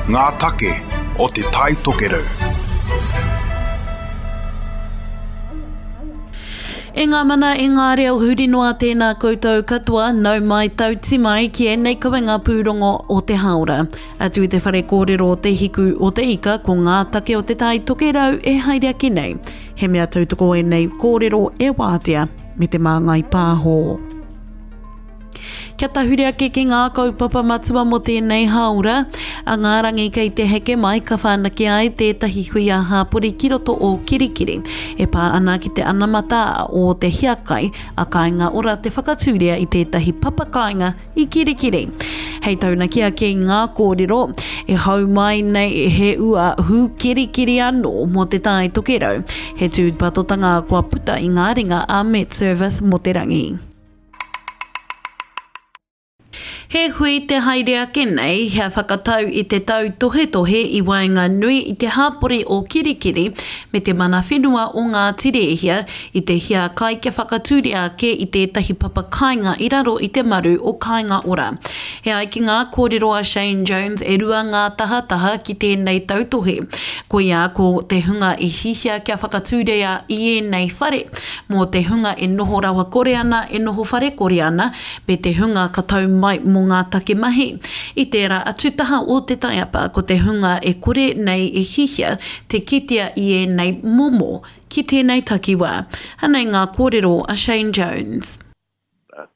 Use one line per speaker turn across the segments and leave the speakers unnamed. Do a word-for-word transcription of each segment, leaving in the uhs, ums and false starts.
Ngā take o Te Tai Tokerau.
E ngā mana, e ngā reo huri noa tēnā koutou katoa, nau mai tauti mai ki ēnei kawenga pūrongo o te hāora. Atu i te whare kōrero o Te Hiku o te Ika, ko ngā take o Te Tai Tokerau e haere ake nei. He mea tautoko ēnei kōrero e wātea me te Māngai Pāho. Kia tahuri ake ki ngā kaupapa matua mō tēnei hāora, a ngā rangi kei te heke mai ka whanake ai tētahi hui ā-hāpori ki roto o Kirikiri e pā ana ki te anamata o te hiakai a Kāinga Ora te whakatūria i tētahi papa kāinga i Kirikiri. Hei taunaki ake i ngā kōrero, e hau mai nei he ua hūkirikiri anō mō Te Tai Tokerau, he tūpatotanga kua puta i ngā ringa a MetService mō te rangi. He hui te haere ake nei hea whakatau i te tautohetohe i waenganui i te hāpori o Kirikiri me te mana whenua o Ngāti Rēhia i te hiakai kia whakatūria ake i tētahi papa kāinga i raro i te maru o Kāinga Ora. E ai ki ngā kōrero a Shane Jones e rua ngā tahataha ki tēnei tautohe. Koia ko te hunga i hihia kia whakatūria i ēnei whare mō te hunga e noho rawakore ana, e noho wharekore ana, me te hunga ka tau mai mō ngā take mahi. I tērā atu taha o te taiapa ko te hunga e kore nei e hihia te kitea i ēnei momo ki tēnei takiwā. Anei ngā kōrero a Shane Jones.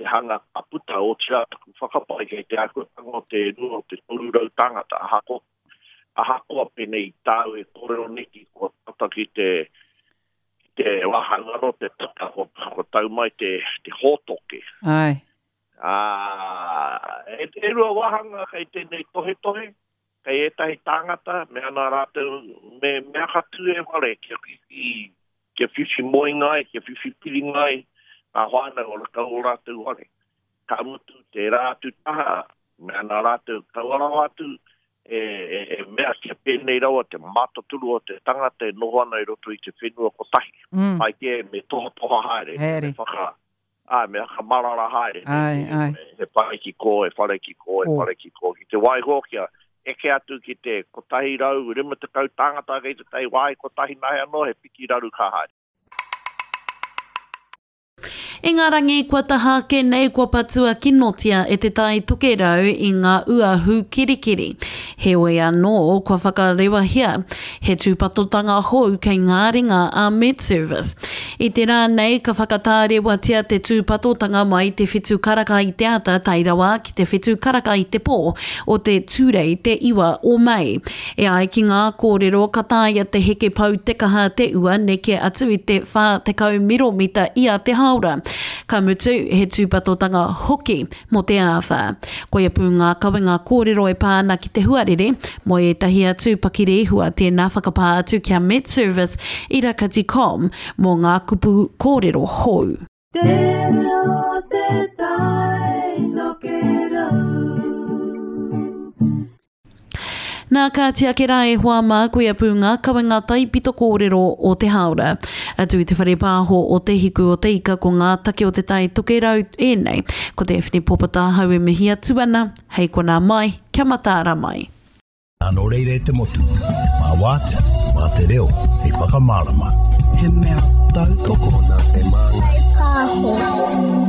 Te hanga ka puta, otirā taku whakapae kei te āhuatanga o te rua o te toru rau tāngata, ahakoa, ahakoa pēnei i tāu e kōrero neki kua tata ki te, ki te wāhanga anō te tata, kua, kua tau mai te, te hōtoke.
Ai.
Ā, e, e rua wāhanga kei tēnei tohetohe, kei ētahi tāngata, me ana rātou, me, me aka tū e whare, kia whiwhi, kia whiwhi moenga ai, kia whiwhi piringa ai, ngā whānau o kau o rātou whare. Ka mutu tērā atu taha, me ana rātou kaua rawa atu, e, e, e mea kia pēnei rawa te mātaturu o te tangata e noho ana i roto i te whenua kotahi.
Mm.
Pai kē, me tohatoha haere, me
Haere.
whaka, ai, me whakamarara haere.
Ai,
Me,
ai.
me, he whare ki kō, he whare ki kō, he
Kō.
whare ki kō. Ki te waiho kia eke atu ki te kotahi rau, rima tekau tāngata kei te tai wāhi kotahi nahe anō, he piki raru ka haere.
I ngā rangi kua taha ake nei kua patua kinotia e Te Tai Tokerau i ngā ua hūkirikiri. Heoi anō kua whakarewahia he tūpatotanga hou kei ngā ringa a MetService. I te rā nei ka whakatārewatia te tūpatotanga mai te whitu karaka i te ata tae rawa ki te whitu karaka i te pō o te Tūrei te iwa o Mei. E ai ki ngā kōrero ka taea te heke pau te kaha te ua neke atu i te whā tekau miromita ia te hāora. Ka mutu, he tūpatotanga hoki mō te āwhā. Koia pū ngā kawenga kōrero e pā ana ki te huarere, mō ētahi atu pakirehua tēnā whakapā atu kia MetService i rakati com mō ngā kupu kōrero hou.
Te reo te tai tokerau.
Nā ka ake rā e hoa mā koia pū ngā kawenga taipito kōrero o te hāora. Atu i te whare pāho o Te Hiku o Te Ika ko ngā take o Te Tai Tokerau ēnei. Ko te Awhine Popata hau e mihi atu ana, hei konā mai, kia mataara mai.
Nō reira e te motu, mā wātea, mā te reo, hei whakamārama.
He mea tautoko
nā te Māngai Pāho.